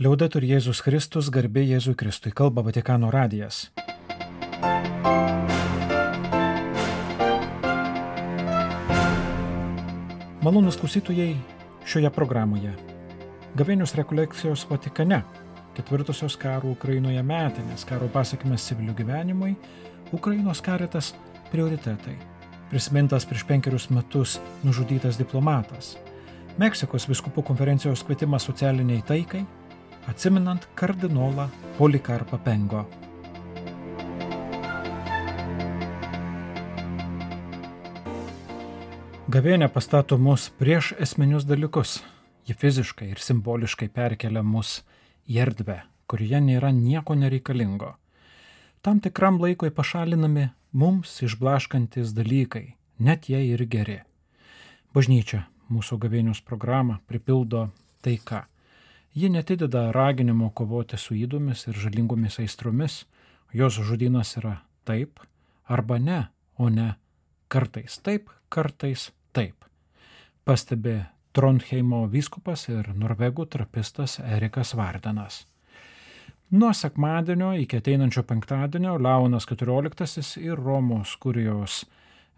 Liaudetur Jėzus Kristus, garbė Jėzui Kristui, kalba Vatikano radijas. Malonūs klausytojai šioje programoje. Gavėnios rekolekcijos Vatikane, ketvirtosios karo Ukrainoje metinės, karo pasekmės civilių gyvenimui, Ukrainos karitas prioritetai. Prisimintas prieš 5 metus nužudytas diplomatas. Meksikos vyskupų konferencijos kvietimas socialiniai taikai, atsiminant kardinolą Polikarpą Pengo. Gavėnia pastato mus prieš esminius dalykus. Ji fiziškai ir simboliškai perkelia mus į erdvę, kurioje nėra nieko nereikalingo. Tam tikram laikui pašalinami mums išblaškantis dalykai, net jei ir geri. Bažnyčia mūsų gavėnios programą pripildo taika. Ji netideda raginimo kovoti su ydomis ir žalingomis aistromis. Jos žodynas yra taip arba ne, o ne kartais taip, kartais taip. Pastebi Trondheimo vyskupas ir norvegų trapistas Erikas Vardenas. Nuo sekmadienio iki ateinančio penktadienio Leonas XIV ir Romos kurijos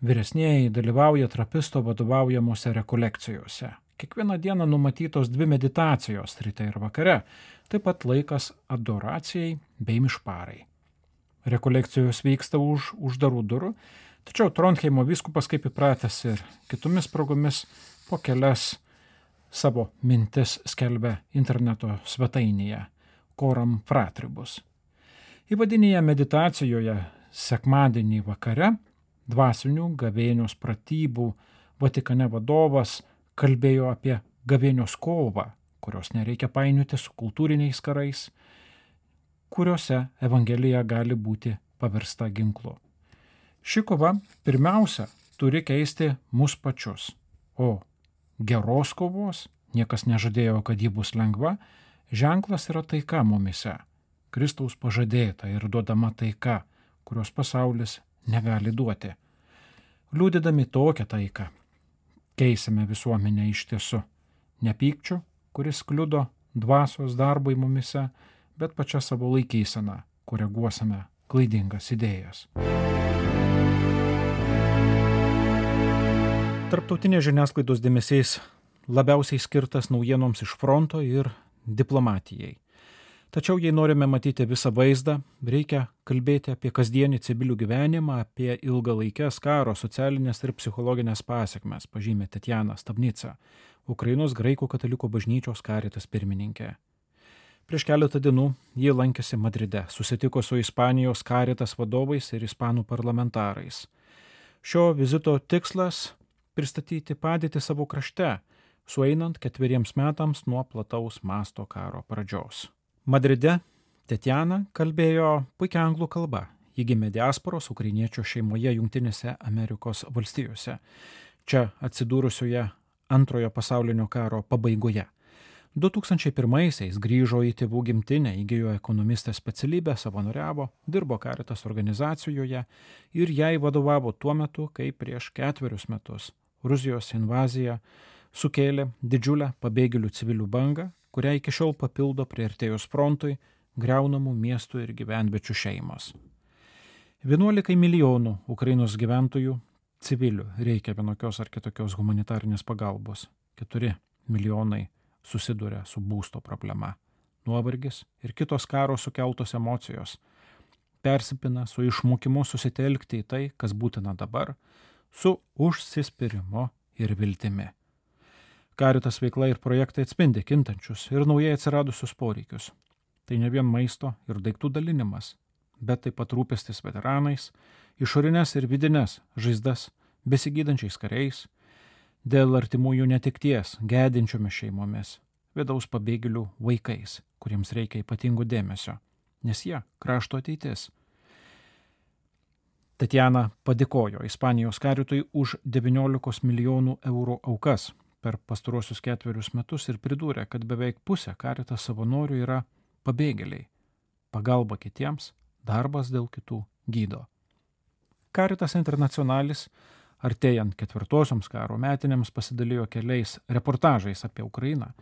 vyresnieji dalyvauja trapisto vadovaujamuose rekolekcijose. Kiekvieną dieną numatytos 2 meditacijos, ryte ir vakare, taip pat laikas adoracijai bei mišparai. Rekolekcijos vyksta už uždarų durų, tačiau Trondheimo vyskupas, kaip įpratęs ir kitomis progomis, po kelias savo mintis skelbia interneto svetainėje Coram Fratribus. Įvadinėje meditacijoje sekmadienį vakare dvasinių gavėnios pratybų Vatikane vadovas kalbėjo apie gavėnios kovą, kurios nereikia painioti su kultūriniais karais, kuriuose Evangelija gali būti paversta ginklu. Ši kova pirmiausia turi keisti mus pačius, o geros kovos, niekas nežadėjo, kad ji bus lengva, ženklas yra taika mumise, Kristaus pažadėta ir duodama taika, kurios pasaulis negali duoti. Liudydami tokią taiką, keisime visuomenę iš tiesų, ne pykčiu, kuris kliudo dvasios darbui mumise, bet pačią savo laikyseną, koreguosime klaidingas idėjas. Tarptautinės žiniasklaidos dėmesys labiausiai skirtas naujienoms iš fronto ir diplomatijai. Tačiau jei norime matyti visą vaizdą, reikia kalbėti apie kasdienį civilių gyvenimą, apie ilgalaikes karo, socialinės ir psichologinės pasekmes, pažymė Tatjana Stavnica, Ukrainos graikų katalikų bažnyčios karitas pirmininkė. Prieš keletą dienų ji lankėsi Madride, susitiko su Ispanijos karitas vadovais ir ispanų parlamentarais. Šio vizito tikslas – pristatyti padėtį savo krašte, sueinant 4 metams nuo plataus masto karo pradžios. Madride Tatjana kalbėjo puikia anglų kalba. Ji gimė diasporos ukrainiečių šeimoje Jungtinėse Amerikos valstijose, čia atsidūrusioje Antrojo pasaulinio karo pabaigoje. 2001-aisiais grįžo į tėvų gimtinę, įgijo ekonomistės specialybę, savanoriavo, dirbo karitas organizacijoje ir jai vadovavo tuo metu, kai prieš 4 metus Rusijos invazija sukėlė didžiulę pabėgėlių civilių bangą, kurią iki šiol papildo priartėjus frontui griaunamų miestų ir gyvenviečių šeimos. 11 milijonų Ukrainos gyventojų civilių reikia vienokios ar kitokios humanitarinės pagalbos. 4 milijonai susiduria su būsto problema. Nuovargis ir kitos karo sukeltos emocijos persipina su išmokimu susitelkti į tai, kas būtina dabar, su užsispyrimu ir viltimi. Karitas veikla ir projektai atspindi kintančius ir naujai atsiradusius poreikius. Tai ne vien maisto ir daiktų dalinimas, bet taip pat rūpestis veteranais, išorinės ir vidinės žaizdas besigydančiais kariais, dėl artimųjų netekties gedinčiomis šeimomis, vidaus pabėgėlių vaikais, kuriems reikia ypatingų dėmesio, nes jie krašto ateitis. Tatjana padėkojo Ispanijos karitui už 19 milijonų eurų aukas per pastaruosius 4 metus ir pridūrė, kad beveik pusė karitas savanorių yra pabėgėliai. Pagalba kitiems, darbas dėl kitų gydo. Caritas Internationalis artėjant 4 karo metinėms pasidalijo keliais reportažais apie Ukrainą,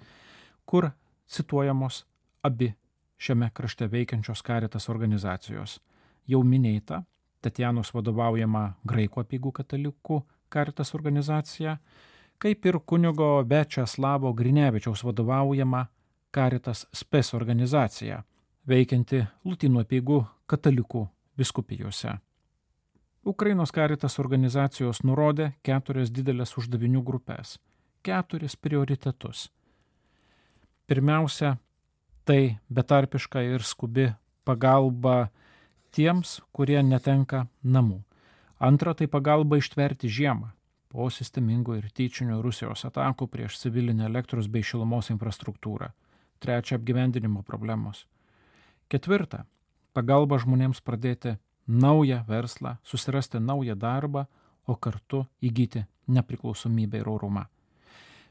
kur cituojamos abi šiame krašte veikiančios Caritas organizacijos. Jau minėta Tatjanos vadovaujama Graikų apeigų katalikų Caritas organizacija, kaip ir kunigo Viačeslavo Grinevičiaus vadovaujama Caritas Spes organizacija, veikianti Lotynų apeigų katalikų vyskupijose. Ukrainos Caritas organizacijos nurodė 4 didelės uždavinių grupės, 4 prioritetus. Pirmiausia, tai betarpiška ir skubi pagalba tiems, kurie netenka namų. Antra, tai pagalba ištverti žiemą po sistemingų ir tyčinių Rusijos atakų prieš civilinę elektros bei šilumos infrastruktūrą. Trečia, apgyvendinimo problemos. Ketvirta, pagalba žmonėms pradėti naują verslą, susirasti naują darbą, o kartu įgyti nepriklausomybę ir orumą.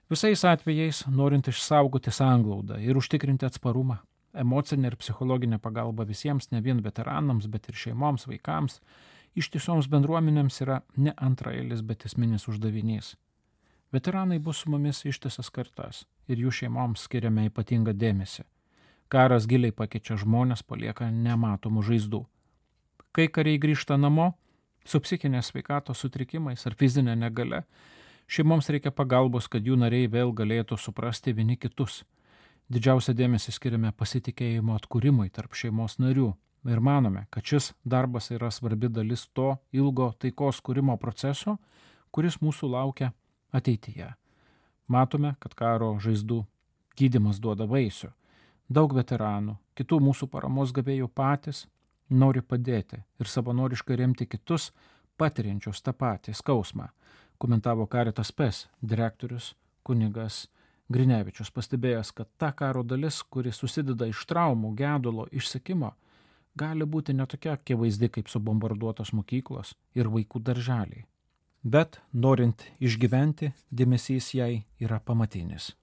Visais atvejais, norint išsaugoti sanglaudą ir užtikrinti atsparumą, emocinę ir psichologinę pagalbą visiems, ne vien veteranams, bet ir šeimoms, vaikams, ištisoms bendruomenėms yra ne antraeilis, bet esminis uždavinys. Veteranai bus su mumis ištisas kartas ir jų šeimoms skiriame ypatingą dėmesį. Karas giliai pakeičia žmonės, palieka nematomų žaizdų. Kai kariai grįžta namo, su psichinės sveikatos sutrikimais ar fizinė negale, šeimoms reikia pagalbos, kad jų nariai vėl galėtų suprasti vieni kitus. Didžiausią dėmesį skiriame pasitikėjimo atkūrimui tarp šeimos narių ir manome, kad šis darbas yra svarbi dalis to ilgo taikos kūrimo proceso, kuris mūsų laukia ateityje. Matome, kad karo žaizdų gydymas duoda vaisių. Daug veteranų, kitų mūsų paramos gavėjų patys nori padėti ir savanoriškai remti kitus, patiriančius tą patį skausmą, komentavo Caritas Spes direktorius kunigas Grinevičius, pastebėjęs, kad ta karo dalis, kuri susideda iš traumų, gedulo, išsekimo, gali būti netokia akivaizdi kaip subombarduotos mokyklos ir vaikų darželiai. Bet, norint išgyventi, dėmesys jai yra pamatinis.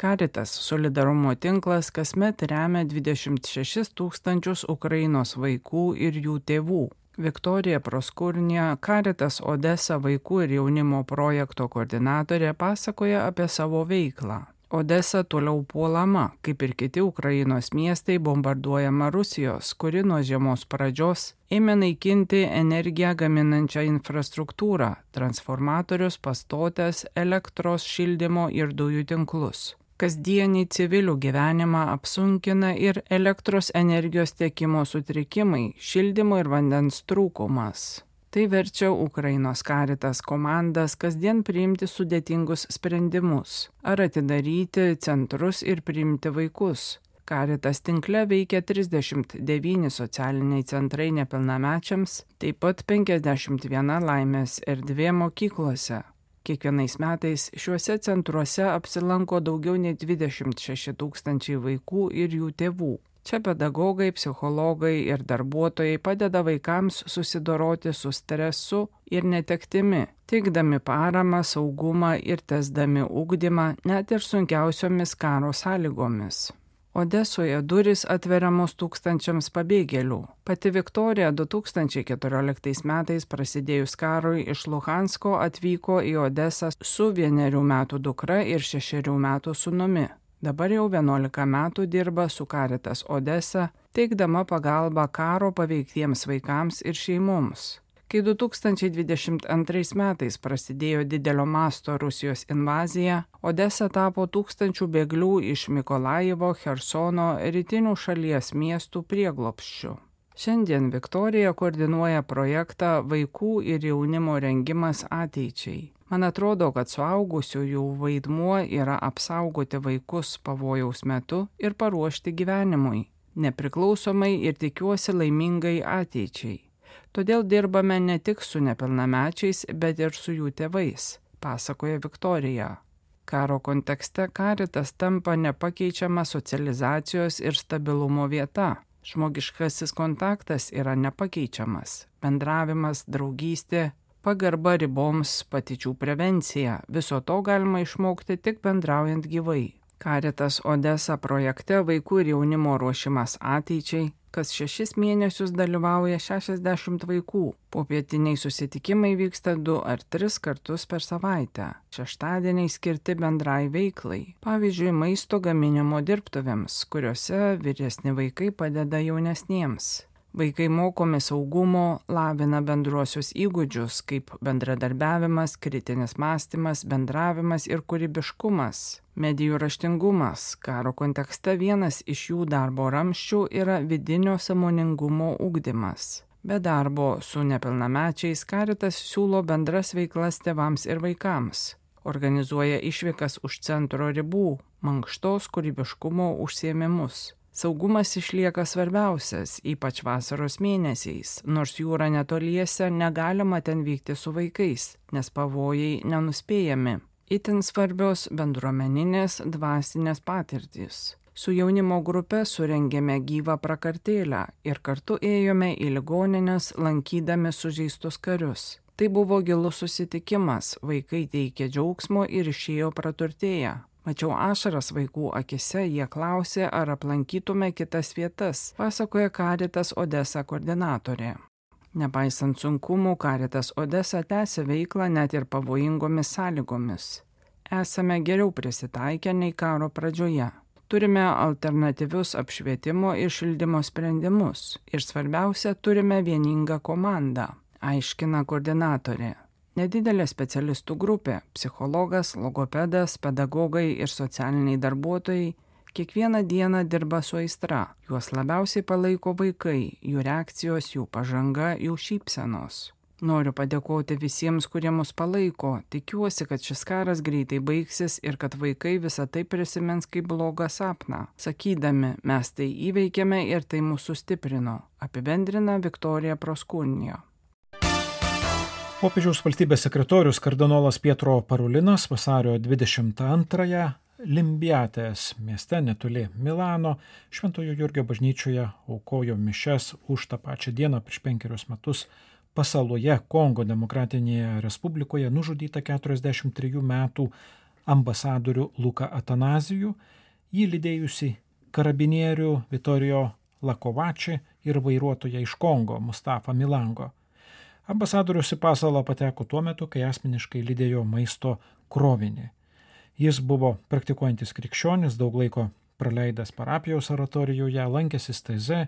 Caritas solidarumo tinklas kasmet remia 26 000 Ukrainos vaikų ir jų tėvų. Viktorija Proskurnija, Caritas Odesa vaikų ir jaunimo projekto koordinatorė, pasakoja apie savo veiklą. Odesa toliau puolama, kaip ir kiti Ukrainos miestai, bombarduojama Rusijos, kuri nuo žiemos pradžios ėmė naikinti energiją gaminančią infrastruktūrą, transformatorius, pastotes, elektros, šildymo ir dujų tinklus. Kasdienį civilių gyvenimą apsunkina ir elektros energijos tiekimo sutrikimai, šildymo ir vandens trūkumas. Tai verčia Ukrainos Caritas komandas kasdien priimti sudėtingus sprendimus, ar atidaryti centrus ir priimti vaikus. Caritas tinkle veikia 39 socialiniai centrai nepilnamečiams, taip pat 51 laimės erdvė mokyklose. Kiekvienais metais šiuose centruose apsilanko daugiau nei 26 000 vaikų ir jų tėvų. Čia pedagogai, psichologai ir darbuotojai padeda vaikams susidoroti su stresu ir netektimi, teikdami paramą, saugumą ir tesdami ugdymą net ir sunkiausiomis karo sąlygomis. Odesoje durys atveriamos tūkstančiams pabėgėlių. Pati Viktorija 2014 metais prasidėjus karui iš Luhansko atvyko į Odesą su 1 metų dukra ir 6 metų sūnumi. Dabar jau 11 metų dirba su Caritas Odesa, teikdama pagalbą karo paveiktiems vaikams ir šeimoms. Kai 2022 metais prasidėjo didelio masto Rusijos invazija, Odesa tapo tūkstančių bėglių iš Mikolajivo, Chersono, rytinių šalies miestų prieglobsčių. Šiandien Viktorija koordinuoja projektą Vaikų ir jaunimo rengimas ateičiai. Man atrodo, kad suaugusiųjų vaidmuo yra apsaugoti vaikus pavojaus metu ir paruošti gyvenimui, nepriklausomai ir tikiuosi laimingai ateičiai. Todėl dirbame ne tik su nepilnamečiais, bet ir su jų tėvais, pasakoja Viktorija. Karo kontekste Caritas tampa nepakeičiama socializacijos ir stabilumo vieta. Žmogiškasis kontaktas yra nepakeičiamas. Bendravimas, draugystė, pagarba riboms, patyčių prevencija. Viso to galima išmokti tik bendraujant gyvai. Caritas Odesa projekte Vaikų ir jaunimo ruošimas ateičiai Kas 6 mėnesius dalyvauja 60 vaikų. Popietiniai susitikimai vyksta 2 ar 3 kartus per savaitę. Šeštadieniai skirti bendrai veiklai. Pavyzdžiui, maisto gaminimo dirbtuvėms, kuriuose vyresni vaikai padeda jaunesniems. Vaikai mokomi saugumo, lavina bendruosius įgūdžius, kaip bendradarbiavimas, kritinis mąstymas, bendravimas ir kūrybiškumas. Medijų raštingumas. Karo kontekste vienas iš jų darbo ramsčių yra vidinio sąmoningumo ugdymas. Be darbo su nepilnamečiais Caritas siūlo bendras veiklas tėvams ir vaikams. Organizuoja išvykas už centro ribų, mankštos kūrybiškumo užsiėmimus. Saugumas išlieka svarbiausias, ypač vasaros mėnesiais, nors jūra netoliese negalima ten vykti su vaikais, nes pavojai nenuspėjami. Itin svarbios bendruomeninės dvasinės patirtys. Su jaunimo grupe surengėme gyvą prakartėlę ir kartu ėjome į ligonines, lankydami sužeistus karius. Tai buvo gilus susitikimas, vaikai teikė džiaugsmo ir išėjo praturtėję. Mačiau ašaras vaikų akise, jie klausė, ar aplankytume kitas vietas, pasakoja Caritas Odesa koordinatorė. Nepaisant sunkumų, Caritas Odesa tęsia veiklą net ir pavojingomis sąlygomis. Esame geriau prisitaikę nei karo pradžioje. Turime alternatyvius apšvietimo ir šildymo sprendimus ir svarbiausia, turime vieningą komandą, aiškina koordinatorė. Nedidelė specialistų grupė – psichologas, logopedas, pedagogai ir socialiniai darbuotojai – kiekvieną dieną dirba su aistra. Juos labiausiai palaiko vaikai, jų reakcijos, jų pažanga, jų šypsenos. Noriu padėkoti visiems, kurie mus palaiko. Tikiuosi, kad šis karas greitai baigsis ir kad vaikai visą tai prisimins kaip blogą sapną. Sakydami, mes tai įveikėme ir tai mūsų stiprino, apibendrina Viktorija Proskurnija. Popiežiaus valstybės sekretorius kardinolas Pietro Parulinas vasario 22-ąją Limbiatės mieste netoli Milano Šventojo Jurgio bažnyčioje aukojo mišias už tą pačią dieną prieš 5 metus pasaloje Kongo Demokratinėje Respublikoje nužudytą 43 metų ambasadorių Luką Atanazijų, jį lydėjusi karabinierių Vitorijo Lakovači ir vairuotoją iš Kongo Mustafa Milango. Ambasadorius į pasalą pateko tuo metu, kai asmeniškai lydėjo maisto krovinį. Jis buvo praktikuojantis krikščionis, daug laiko praleidęs parapijos oratorijoje, lankęsis teze,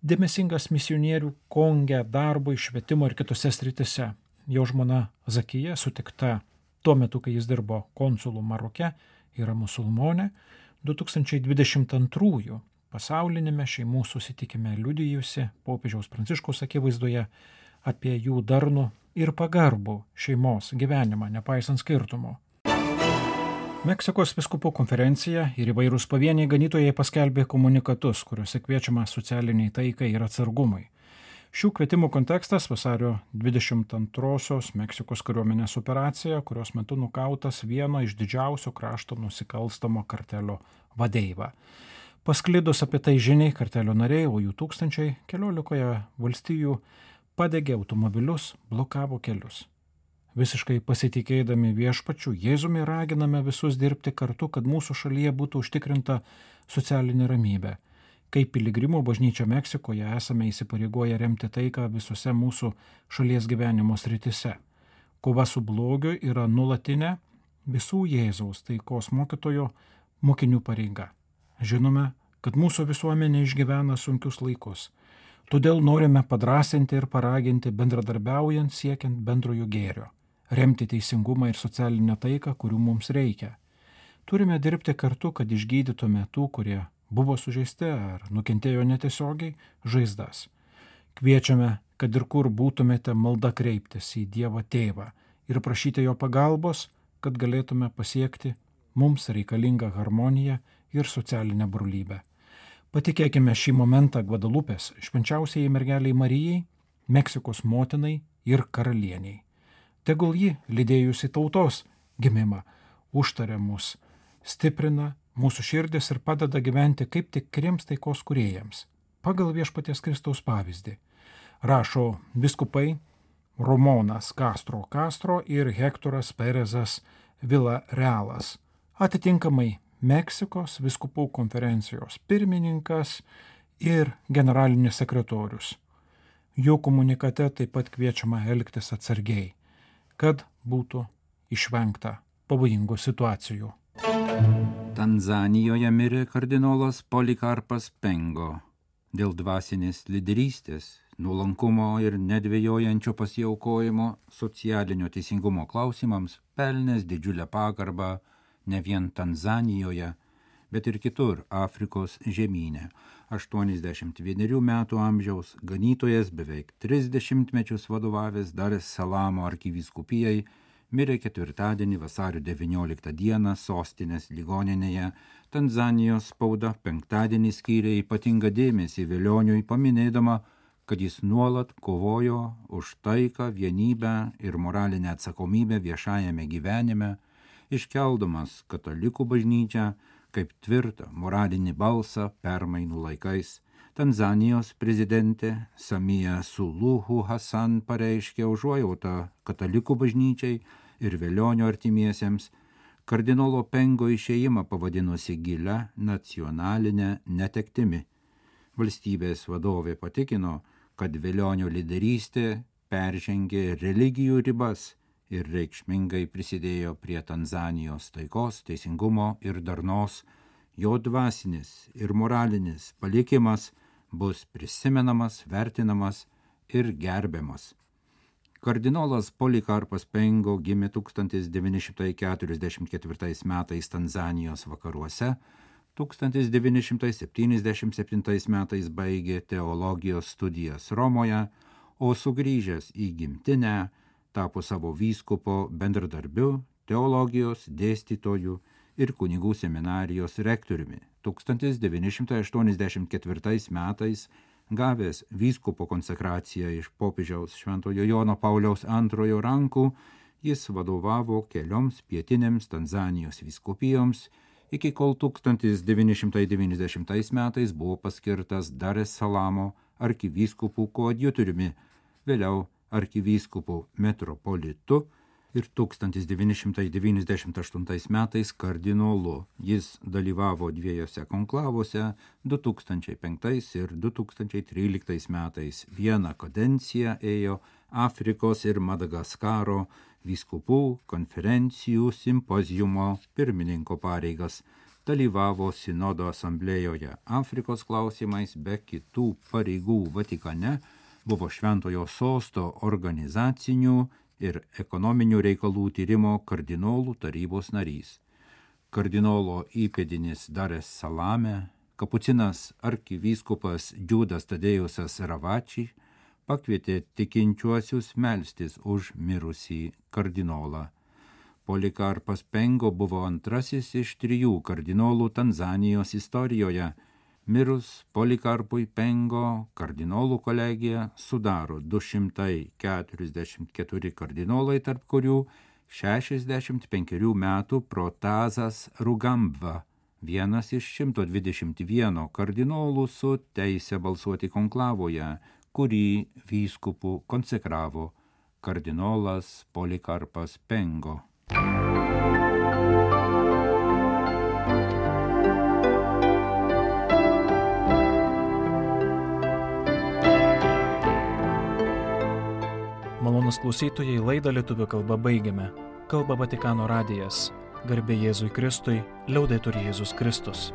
dėmesingas misionierių Konge darbui, švietimo ir kitose sritise. Jo žmona Zakija, sutikta tuo metu, kai jis dirbo konsulu Maroke, yra musulmonė, 2022 pasaulinėme šeimų susitikime liudijusi popiežiaus Pranciškaus akivaizdoje apie jų darnų ir pagarbų šeimos gyvenimą, nepaisant skirtumų. Meksikos vyskupų konferencija ir įvairūs pavieniai ganytojai paskelbė komunikatus, kuriuose kviečiama socialiniai taikai ir atsargumui. Šių kvietimų kontekstas vasario 22-osios Meksikos kariuomenės operacija, kurios metu nukautas vieno iš didžiausio krašto nusikalstamo kartelio vadeiva. Pasklidus apie tai žiniai, kartelio nariai, o jų tūkstančiai 14 valstijų padegė automobilius, blokavo kelius. Visiškai pasitikėdami viešpačiu, Jėzumi raginame visus dirbti kartu, kad mūsų šalyje būtų užtikrinta socialinė ramybė. Kaip piligrimų bažnyčia Meksikoje esame įsipareigoję remti taiką visose mūsų šalies gyvenimo sritise. Kova su blogiu yra nuolatinė visų Jėzaus taikos mokytojo mokinių pareiga. Žinome, kad mūsų visuomenė išgyvena sunkius laikus. Todėl norime padrasinti ir paraginti bendradarbiaujant siekiant bendrojo gėrio, remti teisingumą ir socialinę taiką, kurių mums reikia. Turime dirbti kartu, kad išgydytume tų, kurie buvo sužeisti ar nukentėjo netiesiogiai, žaizdas. Kviečiame, kad ir kur būtumėte, malda kreiptis į Dievą Tėvą ir prašyti jo pagalbos, kad galėtume pasiekti mums reikalingą harmoniją ir socialinę brolybę. Patikėkime šį momentą Gvadalupės švenčiausiai mergeliai Marijai, Meksikos motinai ir karalieniai. Tegul ji, lydėjusi tautos gimimą, užtaria mus, stiprina mūsų širdis ir padeda gyventi kaip tikriems taikos kūrėjams, pagal Viešpaties Kristaus pavyzdį. Rašo vyskupai Ramonas Castro ir Hektoras Perezas Villarealas, atitinkamai Meksikos vyskupų konferencijos pirmininkas ir generalinis sekretorius. Jo komunikate taip pat kviečiama elgtis atsargiai, kad būtų išvengta pavojingų situacijų. Tanzanijoje mirė kardinolas Polikarpas Pengo. Dėl dvasinės lyderystės, nuolankumo ir nedvejojančio pasiaukojimo socialinio teisingumo klausimams pelnęs didžiulę pagarbą ne vien Tanzanijoje, bet ir kitur Afrikos žemyne. 81 metų amžiaus ganytojas beveik 30 mečius vadovavęs Dar es Salamo arkivyskupijai mirė ketvirtadienį vasario 19 dieną sostinės ligoninėje. Tanzanijos spauda penktadienį skyrė ypatingą dėmesį Velioniui, paminėdama, kad jis nuolat kovojo už taiką, vienybę ir moralinę atsakomybę viešajame gyvenime, iškeldamas katalikų bažnyčią kaip tvirtą moralinį balsą permainų laikais. Tanzanijos prezidentė Samia Suluhu Hassan pareiškė užuojautą katalikų bažnyčiai ir Velionio artimiesiems, kardinolo Pengo išėjimą pavadinusi gilia nacionalinė netektimi. Valstybės vadovė patikino, kad Velionio lyderystė peržengė religijų ribas ir reikšmingai prisidėjo prie Tanzanijos taikos, teisingumo ir darnos. Jo dvasinis ir moralinis palikimas bus prisimenamas, vertinamas ir gerbiamas. Kardinolas Polikarpas Pengo gimė 1944 metais Tanzanijos vakaruose, 1977 metais baigė teologijos studijas Romoje, o sugrįžęs į gimtinę tapo savo vyskupo bendradarbiu, teologijos dėstytoju ir kunigų seminarijos rektoriumi. 1984 metais gavęs vyskupo konsekraciją iš popiežiaus Šventojo Jono Pauliaus II rankų, jis vadovavo kelioms pietinėms Tanzanijos vyskupijoms, iki kol 1990 metais buvo paskirtas Dar es Salamo arkivyskupų koadjutoriumi, vėliau arkivyskupu metropolitu ir 1998 metais kardinolu. Jis dalyvavo dviejose konklavuose 2005 ir 2013 metais. Vieną kadenciją ėjo Afrikos ir Madagaskaro vyskupų konferencijų simpoziumo pirmininko pareigas. Dalyvavo sinodo asamblėjoje Afrikos klausimais, be kitų pareigų Vatikane, buvo Šventojo sosto organizacinių ir ekonominių reikalų tyrimo kardinolų tarybos narys. Kardinolo įpėdinis Dar es Salame, kapucinas arkivyskupas Džiudas Tadėjusas Ravači pakvietė tikinčiuosius melstis už mirusį kardinolą. Polikarpas Pengo buvo antrasis iš 3 kardinolų Tanzanijos istorijoje. Mirus Polikarpui Pengo, kardinolų kolegija sudaro 244 kardinolai, tarp kurių 65 metų Protazas Rugambva, vienas iš 121 kardinolų su teise balsuoti konklavoje, kurį vyskupų konsekravo kardinolas Polikarpas Pengo. Malonūs klausytojai, laidą lietuvių kalba baigiame. Kalba Vatikano radijas. Garbė Jėzui Kristui, liaudetur Jėzus Kristus.